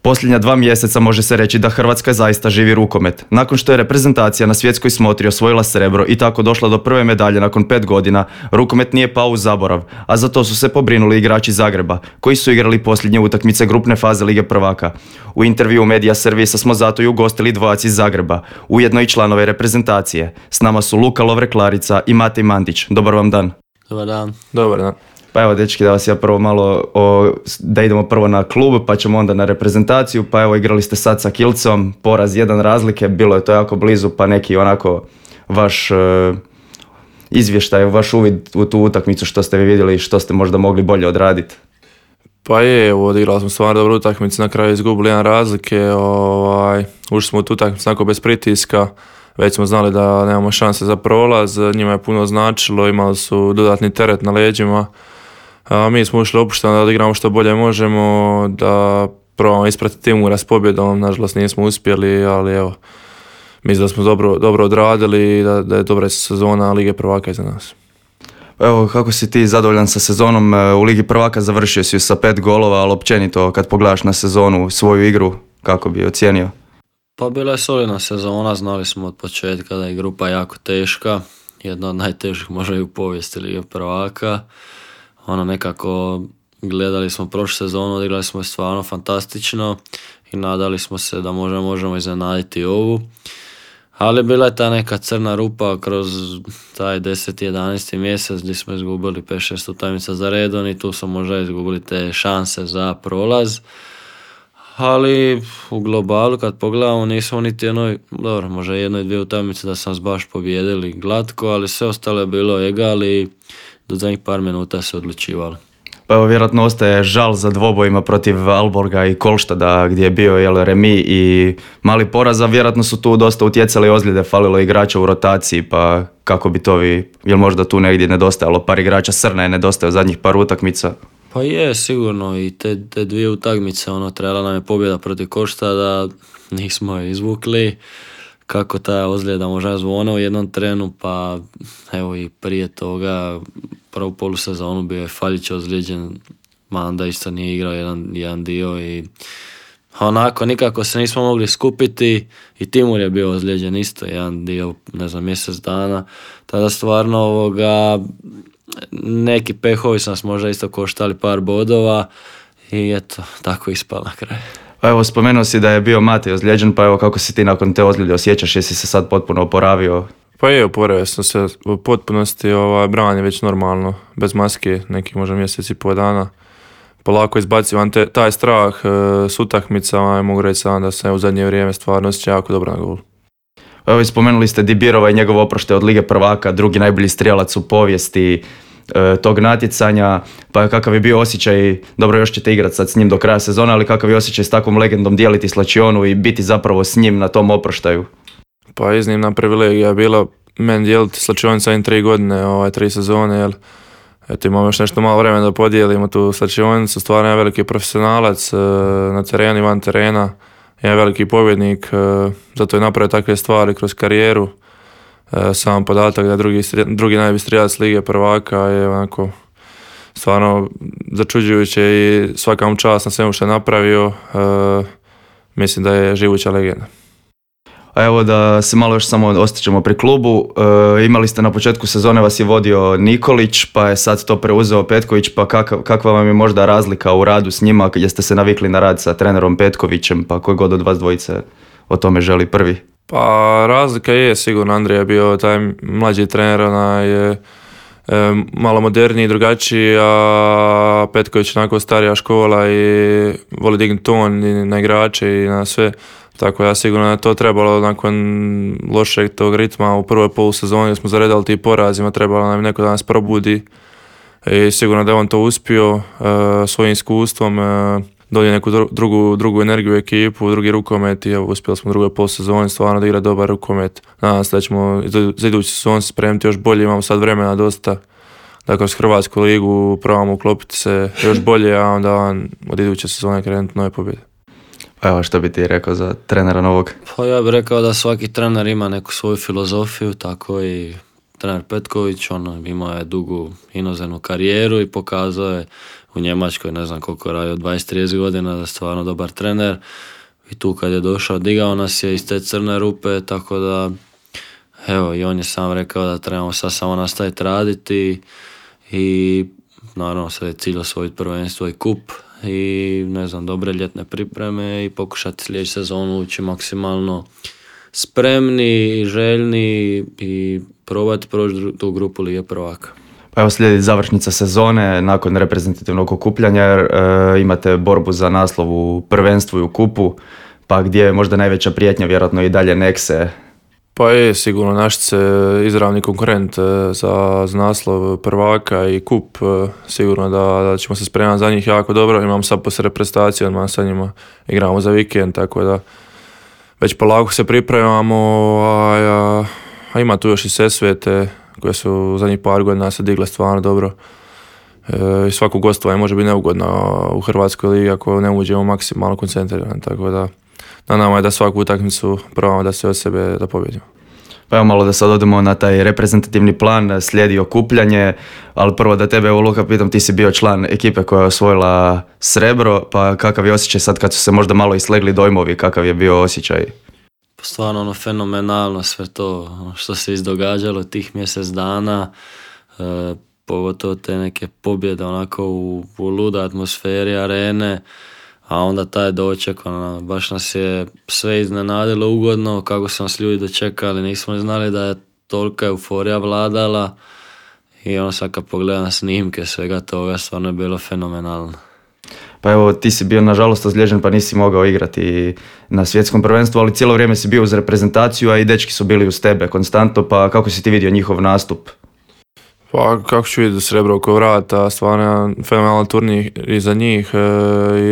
Posljednja 2 mjeseca može se reći da Hrvatska zaista živi rukomet. Nakon što je reprezentacija na svjetskoj smotri osvojila srebro i tako došla do prve medalje nakon 5 godina, rukomet nije pao u zaborav, a za to su se pobrinuli igrači Zagreba, koji su igrali posljednje utakmice grupne faze Lige prvaka. U intervju Medija Servisa smo zato i ugostili dvojac iz Zagreba, ujedno i članove reprezentacije. S nama su Luka Lovre-Klarica i Matej Mandić. Dobar vam dan. Dobar dan. Dobar dan. Pa evo, dečki, da vas ja prvo malo, da idemo prvo na klub, pa ćemo onda na reprezentaciju. Pa evo, igrali ste sad sa Kielcom, poraz 1 razlike, bilo je to jako blizu, pa neki onako vaš izvještaj, vaš uvid u tu utakmicu, što ste vi vidjeli i što ste možda mogli bolje odraditi. Pa je, odigrali smo stvarno dobru utakmicu, na kraju izgubili 1 razlike, ušli smo u tu utakmicu onako bez pritiska, već smo znali da nemamo šanse za prolaz, njima je puno značilo, imali su dodatni teret na leđima. Mi smo ušli opušteno da odigramo što bolje možemo, da probamo ispratiti Timura s pobjedom, nažalost nismo uspjeli, ali evo, mislim da smo dobro odradili i da je dobra sezona Lige prvaka iza nas. Evo, kako si ti zadovoljan sa sezonom u Ligi prvaka? Završio si ju sa 5 golova, ali općenito kad pogledaš na sezonu, svoju igru, kako bi ocijenio? Pa bila je solidna sezona, znali smo od početka da je grupa jako teška, jedna od najtežih možda i u povijesti Lige prvaka. Nekako gledali smo prošlu sezonu, odigrali smo je stvarno fantastično i nadali smo se da možemo iznenaditi ovu. Ali bila je ta neka crna rupa kroz taj 10. 11. mjesec gdje smo izgubili 5-6 utakmica za redom i tu smo možda izgubili te šanse za prolaz. Ali u globalu kad pogledamo nismo niti možda 1-2 utakmice da sam baš pobijedili glatko, ali sve ostalo je bilo egal i do zadnjih par minuta se odlučivalo. Pa evo, vjerojatno ostaje žal za dvobojima protiv Alborga i Kolštada gdje je bio remi i mali poraz, a vjerojatno su tu dosta utjecali ozljede, falilo igrača u rotaciji, pa kako bi to jel možda tu negdje nedostajalo par igrača, Srna je nedostajao zadnjih par utakmica? Pa je, sigurno, i te 2 utakmice, trebala nam je pobjeda protiv Kolštada, nismo je izvukli. Kako ta ozljeda možda zvona u jednom trenu, pa evo i prije toga, prvu polusezonu bio je Faljić ozlijeđen, Manda isto nije igrao jedan dio i nikako se nismo mogli skupiti i Timur je bio ozlijeđen isto jedan dio, mjesec dana. Tada stvarno neki pehovi su nas možda isto koštali par bodova i eto, tako ispala na kraju. Pa evo, spomenuo si da je bio Matej ozlijeđen, pa evo, kako si ti nakon te ozljede osjećaš, jesi se sad potpuno oporavio? Pa je, oporavio sam se u potpunosti, Bran je već normalno, bez maske, nekih možda mjesec i pol dana. Polako izbacivam taj strah s utakmicama i mogu reći sam da se u zadnje vrijeme stvarno osjeća jako dobro na golu. Evo, spomenuli ste Dibirova i njegov oproštaj od Lige prvaka, drugi najbolji strijelac u povijesti tog natjecanja, pa kakav je bio osjećaj, dobro još ćete igrati sad s njim do kraja sezona, ali kakav je osjećaj s takvom legendom dijeliti slačionu i biti zapravo s njim na tom oproštaju? Pa iznimna privilegija je bila meni dijeliti slačionicu sa 3 godine, 3 sezone, jer eto, imamo još nešto malo vremena da podijelimo tu slačionicu, stvarno je veliki profesionalac na terenu i van terena, je veliki pobjednik, zato je napravio takve stvari kroz karijeru. Sam podatak da drugi najbolji strijelac Lige prvaka je onako stvarno začuđujuće i svaka mu čast na svemu što je napravio. Mislim da je živuća legenda. A evo, da se malo još samo ostaćemo pri klubu, imali ste na početku sezone, vas je vodio Nikolić, pa je sad to preuzeo Petković, pa kakva vam je možda razlika u radu s njima, jeste se navikli na rad sa trenerom Petkovićem, pa koji god od vas dvojice o tome želi prvi? Pa razlika je sigurno, Andrija je bio taj mlađi trener, je malo moderniji, drugačiji, a Petković onako starija škola i voli dignuti ton i na igrače i na sve. Tako ja sigurno je to trebalo nakon lošeg tog ritma u prvoj polusezoni smo zaredali ti porazima, trebalo nam neko da nas probudi i sigurno da je on to uspio svojim iskustvom, donio neku drugu energiju u ekipu, drugi rukomet i uspjeli smo u drugoj polusezoni stvarno da igra dobar rukomet. Nadam se da ćemo za idući sezon spremiti još bolje, imamo sad vremena dosta da kroz Hrvatsku ligu probamo uklopiti se još bolje, a onda od iduće sezone krenuti nove pobjede. Evo, što bi ti rekao za trenera novog? Pa ja bih rekao da svaki trener ima neku svoju filozofiju, tako i trener Petković, imao je dugu inozemnu karijeru i pokazao je u Njemačkoj, ne znam koliko radio, 20-30 godina, da je stvarno dobar trener. I tu kad je došao, digao nas je iz te crne rupe, tako da evo, i on je sam rekao da trebamo sad samo nastaviti raditi i naravno sad je cilj osvojiti prvenstvo i kup i ne znam, dobre ljetne pripreme i pokušati sljedeću sezonu ući maksimalno spremni i željni i probati proći tu grupu Lige prvaka. Pa evo slijedi završnica sezone nakon reprezentativnog okupljanja jer imate borbu za naslov u prvenstvu i u kupu, pa gdje je možda najveća prijetnja, vjerojatno i dalje Nexe. Pa je sigurno Našice izravni konkurent za naslov prvaka i kup. Sigurno da ćemo se spremati za njih jako dobro. Imamo sad poslije reprezentacije, odmah sa njima igramo za vikend, tako da već polako se pripremamo. A ima tu još i Sesvete koje su u zadnjih par godina se digle stvarno dobro. I svako gostovanje može biti neugodno u Hrvatskoj ligi ako ne uđemo maksimalno koncentrirani, tako da na nama je da svaku utakmicu probamo da se od sebe da pobjedimo. Pa evo malo da sad odemo na taj reprezentativni plan, slijedi okupljanje, ali prvo da tebe, evo Luka, pitam, ti si bio član ekipe koja je osvojila srebro, pa kakav je osjećaj sad kad su se možda malo islegli dojmovi, kakav je bio osjećaj? Pa stvarno fenomenalno sve to što se izdogađalo tih mjesec dana, pogotovo te neke pobjede onako u luda atmosferi arene, a onda taj doček, baš nas je sve iznenadilo ugodno, kako su nas ljudi dočekali, nismo znali da je tolika euforija vladala i sad kad pogledam snimke svega toga, stvarno je bilo fenomenalno. Pa evo, ti si bio nažalost ozlijeđen pa nisi mogao igrati na svjetskom prvenstvu, ali cijelo vrijeme si bio uz reprezentaciju, a i dečki su bili uz tebe konstantno, pa kako si ti vidio njihov nastup? Pa kako ću vidjeti srebro oko vrata, stvarno fenomenalan turnir i za njih.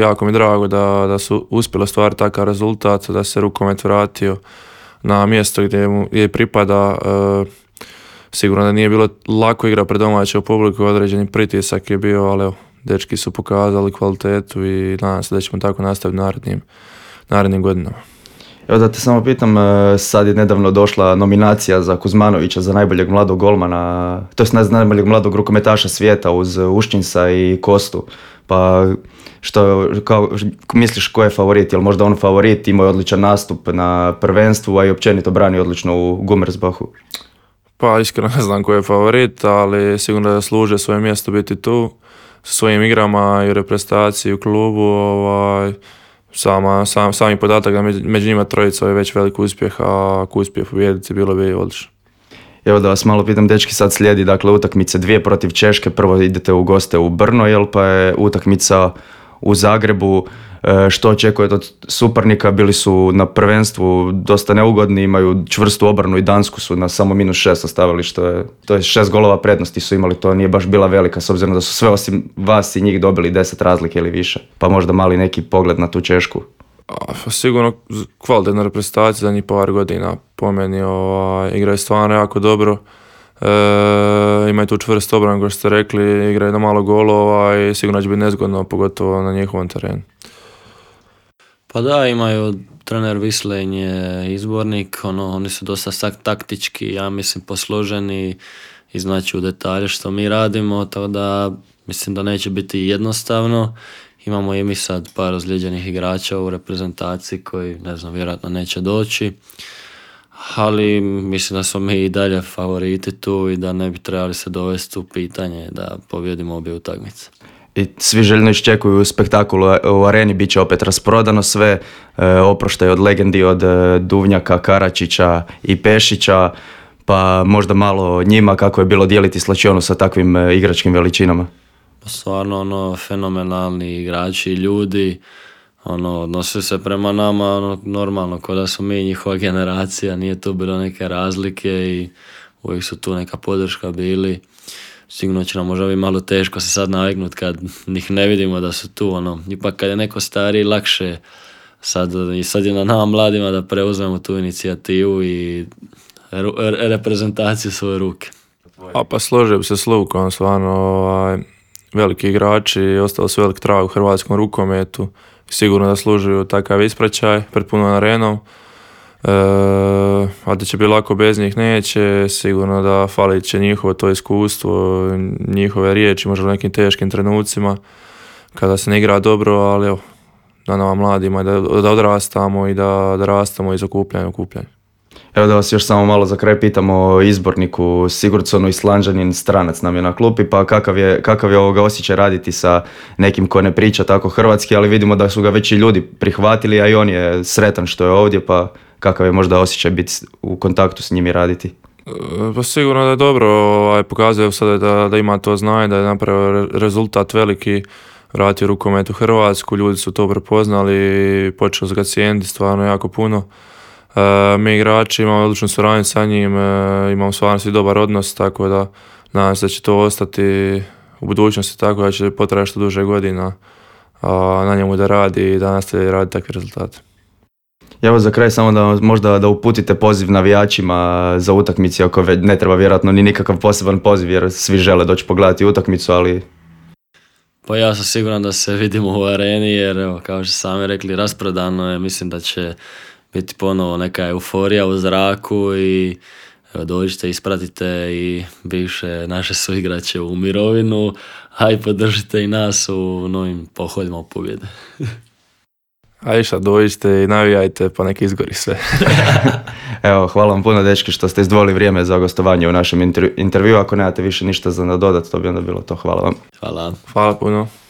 Jako mi je drago da su uspjeli ostvariti takav rezultat, da se rukomet vratio na mjesto gdje pripada. Sigurno da nije bilo lako igra pred domaćom publiku, određeni pritisak je bio, ali evo, dečki su pokazali kvalitetu i nadam se da ćemo tako nastaviti narednim godinama. Evo da te samo pitam, sad je nedavno došla nominacija za Kuzmanovića za najboljeg mladog golmana, to je najboljeg mladog rukometaša svijeta uz Uščinsa i Kostu. Pa misliš ko je favorit? Je li možda on favorit, imao je odličan nastup na prvenstvu, a i općenito brani odlično u Gummersbachu? Pa iskreno ne znam ko je favorit, ali sigurno da služe svoje mjesto biti tu sa svojim igrama i u reprezentaciji u klubu. Sami podatak da među njima trojica je već velik uspjeh, a ako uspije pobijediti bilo bi odlično. Evo da vas malo pitam, dečki, sad slijedi dakle utakmice 2 protiv Češke, prvo idete u goste u Brno, pa je utakmica u Zagrebu. Što očekujete od suparnika? Bili su na prvenstvu dosta neugodni, imaju čvrstu obranu i Dansku su na samo -6 ostavili, to je 6 golova prednosti su imali, to nije baš bila velika s obzirom da su sve osim vas i njih dobili 10 razlike ili više, pa možda mali neki pogled na tu Češku. Sigurno kvalitetna reprezentacija za njih par godina, po meni igraju stvarno jako dobro. Imaju tu čvrst obranu, kao što ste rekli, igraju na malo golova i sigurno će biti nezgodno, pogotovo na njihovom terenu. Pa da, imaju trener Vislen je izbornik, oni su dosta taktički, ja mislim posloženi i znači u detalje što mi radimo, tako da mislim da neće biti jednostavno. Imamo i mi sad par ozlijeđenih igrača u reprezentaciji koji, ne znam, vjerojatno neće doći, ali mislim da smo mi i dalje favoriti tu i da ne bi trebali se dovesti u pitanje da pobjedimo obje utakmice. I svi željno iščekuju spektakul u areni, bit će opet rasprodano sve, oproštaj od legendi od Duvnjaka, Karačića i Pešića, pa možda malo njima kako je bilo dijeliti slačionu sa takvim igračkim veličinama. Stvarno fenomenalni igrači, ljudi, odnose se prema nama normalno, kao da smo mi njihova generacija, nije tu bilo neke razlike i uvijek su tu neka podrška bili. Sigurno će nam možda biti malo teško se sad naviknuti kad ih ne vidimo da su tu, ipak kad je neko stariji lakše, sad je na nama mladima da preuzmemo tu inicijativu i reprezentaciju svoje ruke. Pa složio bi se s Lukom, stvarno veliki igrači, ostali su velik trag u hrvatskom rukometu, sigurno da služuju takav ispraćaj pred punom arenom. A da će biti lako bez njih neće, sigurno da falit će njihovo to iskustvo, njihove riječi možda u nekim teškim trenucima, kada se ne igra dobro, ali evo, da nama mladima da odrastamo i da rastamo iz okupljanja u okupljanje. Evo da vas još samo malo za kraj pitamo o izborniku Sigurdsonu, Islanđanin, stranac nam je na klupi, pa kakav je ovoga osjećaj raditi sa nekim ko ne priča tako hrvatski, ali vidimo da su ga već i ljudi prihvatili, a i on je sretan što je ovdje, pa kakav je možda osjećaj biti u kontaktu s njim i raditi? Pa sigurno da je dobro, pokazuje sada da ima to znanje, da je napravio rezultat veliki, vratio rukomet u Hrvatsku, ljudi su to prepoznali, počeli su ga cijeniti stvarno jako puno. Mi igrači imamo odličnu suradnju sa njim, imamo stvarno svi dobar odnos, tako da nadam se da će to ostati u budućnosti, tako da će potrajati što duže godina, a na njemu da radi i da nastavi raditi takve rezultate. Evo za kraj samo da možda da uputite poziv navijačima za utakmice, ako ne treba vjerojatno ni nikakav poseban poziv jer svi žele doći pogledati utakmicu, ali... Pa ja sam siguran da se vidimo u areni jer evo, kao što sami rekli, rasprodano je, mislim da će biti ponovo neka euforija u zraku i evo, dođite, ispratite i bivše naše suigrače u mirovinu, a i podržite i nas u novim pohodima u pobjede. A išta, dođite i navijajte pa nek izgori sve. Evo, hvala vam puno dečki što ste izdvojili vrijeme za gostovanje u našem intervju. Ako nemate više ništa za nadodat, to bi onda bilo to. Hvala vam. Hvala. Hvala puno.